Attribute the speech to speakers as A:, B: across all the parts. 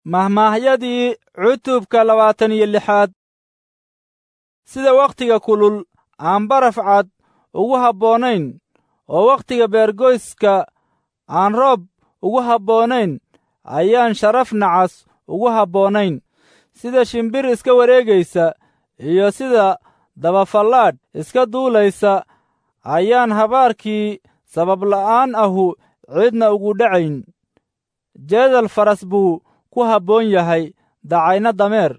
A: Mahmaahyadii cutubka 26. Sida wakhtiga kulul aan baraf cad ugu habboonayn oo wakhtiga beergoyska aan roob ugu habboonayn ayaan sharaf nacas ugu habboonayn. Sida shimbir iska wareegaysa iyo sida dabafallaadh iska duulaysa ayaan habaarkii sababla'aan ahu cidna ugu dhacayn. Jeedal faras buu ku habboon yahay, dacayna dameer,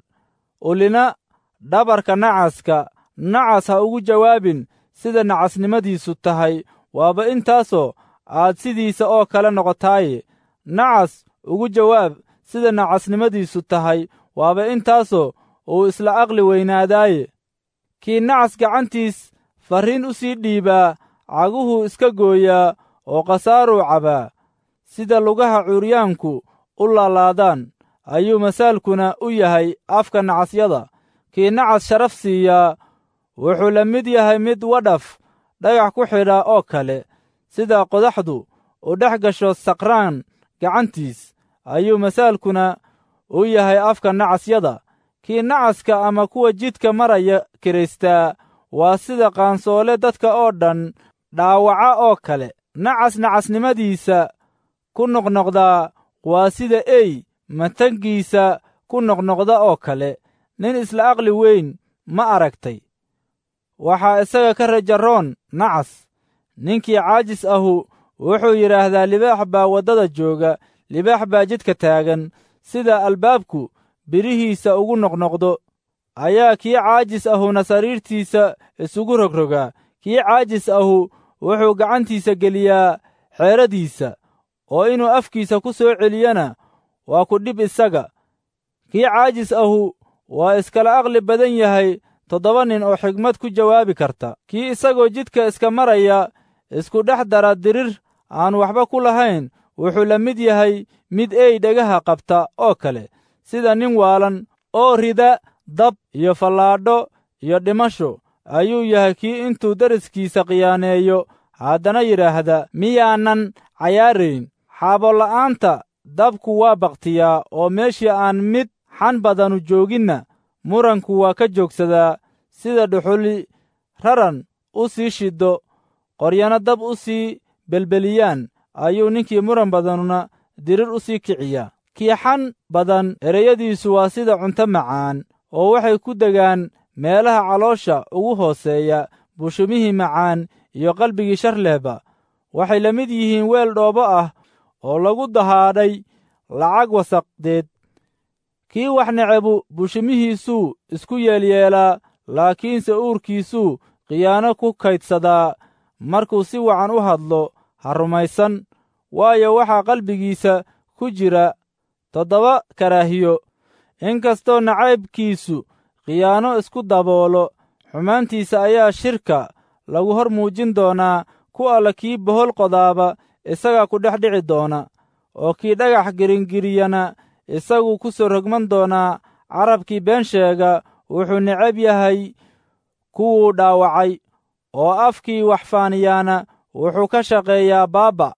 A: ulina dhabarka nacaska. Nacas ha ugu jawaabin sida nacasnimadiisu tahay, waaba intaasoo aad sidiisa oo kale noqotaaye. Nacas ugu jawaab sida nacasnimadiisu tahay, waaba intaasoo uu isla aqli weynaadaaye. Kii nacas gacantiis farriin u sii dhiibaa caguhuu iska gooyaa oo khasaaruu cabaa. Sida lugaha cuuryaanku u laalaadaan ayuu masaalkuna u yahay afka nacasyada. Kii nacas sharaf siiyaa wuxuu la mid yahay mid wadhaf dhagax ku xidha oo kale. Sida qodaxdu u dhex gasho saqraan gacantiis ayuu masaalkuna u yahay afka nacasyada. Kii nacaska ama kuwa jidka maraya kiraystaa waa sida qaansoole dadka oo dhan dhaawaca oo kale. Nacas nacasnimadiisa ku noqnoqdaa waa sida ey matangiisa ku noqnoqda oo kale. Nin isla aqli weyn ma aragtay? Waxaa isaga ka rajaroon nacas. Ninkii caajis ahu wuxuu yidhaahdaa, libaax baa waddada jooga, libaax baa jidka taagan. Sida albaabku birihiisa ugu noqnoqdo ayaa kii caajis ahuna sariirtiisa isugu rogrogaa. Kii caajis ahu wuxuu gacantiisa geliyaa xeeradiisa, oo inuu afkiisa ku soo celiyana waa ku dhib isaga. Kii caajis ahu waa iskala aqli badan yahay 7 nin oo xigmad ku jawaabi karta. Kii isagoo jidka iska maraya isku dhex dara dirir aan waxba ku lahayn wuxuu la mid yahay mid ey dhagaha qabta oo kale. Sida nin waalan oo rida dab iyo fallaadho iyo dhimasho ayuu yahay kii intuu deriskiisa khiyaaneeyo haddana yidhaahda, miyaanan cayaarayn. Xaabola'aanta dabku waa bakhtiyaa, oo meeshii aan mid xan badanu jooginna muranku waa ka joogsadaa. Sida dhuxuli raran u sii shiddo, qoryana dab u sii belbeliyaan ayuu ninkii muran badanuna dirir u sii kiciyaa. Kii xan badan ereyadiisu waa sida cunto macaan, oo waxay ku degaan meelaha caloosha ugu hooseeya. Bushumihii macaan iyo qalbigii shar lehba waxay la mid yihiin weel dhoobo ah oo lagu dahaadhay lacag wasaqdeed. Kii wax necebu bushimihiisuu isku yeelyeelaa, laakiinse uurkiisuu khiyaano ku kaydsadaa. Markuu si wacan u hadlo ha rumaysan, waayo waxaa qalbigiisa ku jira 7 karaahiyo. Inkastoo nacaybkiisu khiyaano isku daboolo, xumaantiisa ayaa shirka lagu hor muujin doonaa. Ku alla kii bohol qodaaba isagaa ku dhex dhici doona, oo kii dhagax giringiriyana isaguu ku soo rogman doonaa. Carabkii been sheega wuxuu necab yahay kuwuu dhaawacay, oo afkii wax faaniyaana wuxuu ka shaqeeyaa baabba.